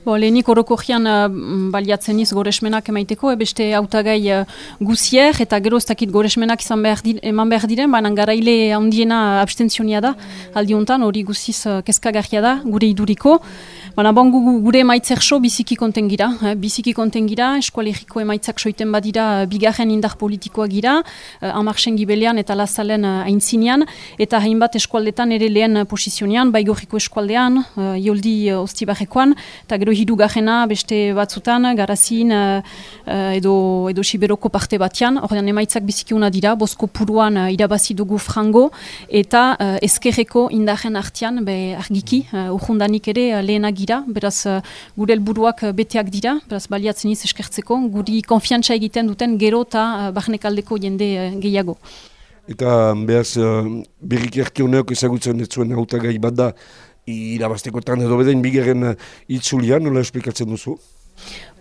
Lehenik orokorrian baliatzen iz goresmenak emaiteko, beste hautagai guzier, eta gero ez dakit goresmenak eman behar diren, baina garaile handiena abstentzionia da, aldi honetan, hori guziz kezkagarria da, gure iduriko. Baina gure emaitzerso biziki konten gira, eskualeriko emaitzak soiten badira bigarren indar politikoa gira, Amarsen gibelean eta Lazalen aintzinean, eta hainbat eskualdetan ere lehen posizionean, Baigorriko eskualdean, Ioldi Ostibarrekoan, eta gero hirugarrena beste batzutan, Garazin edo Siberoko parte batean, ordean emaitzak biziki una dira, Bozko Puruan irabazi dugu frango, eta ezkerreko indarren artean, argiki, urjundanik ere lehenak gira, beraz gure helburuak beteak dira, beraz baliatzen iz eskertzeko, guri konfiantza egiten duten gero eta barnekaldeko jende gehiago. Eta behaz berriki erkioneok ezagutzen ez zuen hautagai bat da irabaztekotan edo bedain bigarren itzulian, nola esplikatzen duzu?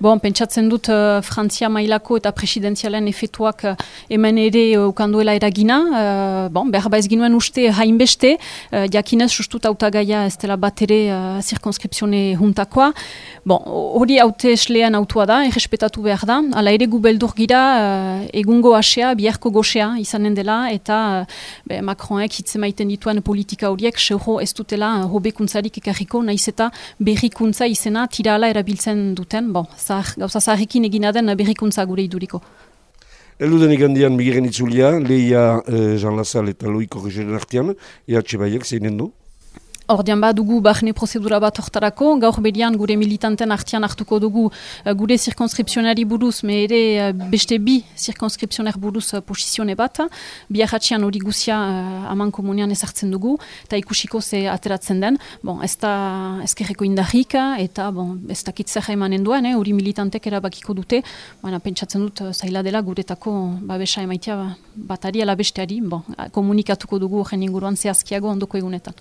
Pentsatzen dut Frantzia mailako eta presidenzialen efetuak hemen ere ukanduela eragina. Behar ez ginuen uste hainbeste, jakinez sustut hautagaia ez dela bat ere zirkonskripzione juntakoa. Hori haute eslean autua da, errespetatu behar da. Hala ere gu beldur gira egungo asea, biharko gosea izanen dela, eta Macronek hitzemaiten dituen politika horiek seuro ez dutela hobekuntzarik ekarriko, nahiz eta berrikuntza izena tira ala erabiltzen duten. Gauza zaharrekin egina den berrikuntza gure iduriko. Eldudenik handian bigarren itzulia, Leia Jean Lazal eta Loiko Regeren artean, EH Baiek zeinen du? Ordean dugu barne prozedura bat hortarako, gaur berian gure militanten artean hartuko dugu gure zirkonskripzionari buruz, me ere beste bi zirkonskripzioner buruz posizione bat, biarratxean hori guzia aman komunean ezartzen dugu, eta ikusiko ze ateratzen den, ez da ezkerreko indarrik, eta ez dakit zer emanen duen, hori militantek erabakiko dute, pentsatzen dut zaila dela guretako babesa emaitea batari ala besteari, komunikatuko dugu horren inguruan zehazkiago ondoko egunetan.